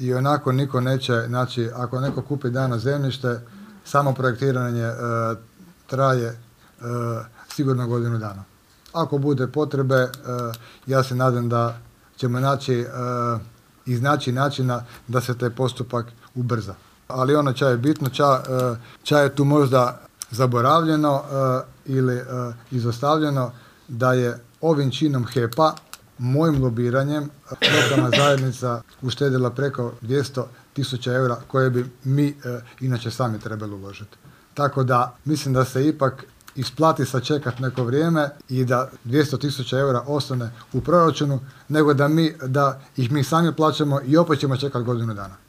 i onako niko neće, znači ako neko kupi dano zemljište, samo projektiranje traje sigurno godinu dana. Ako bude potrebe, ja se nadam da ćemo iznaći načina da se taj postupak ubrza. Ali ono čo je bitno, čo je tu možda zaboravljeno ili izostavljeno, da je ovim činom HEP-a, mojim lobiranjem, lokalna zajednica uštedila preko 200.000 eura koje bi mi inače sami trebali uložiti. Tako da mislim da se ipak isplati sačekati neko vrijeme i da 200.000 eura ostane u proračunu, nego da ih mi sami plaćamo i opet ćemo čekati godinu dana.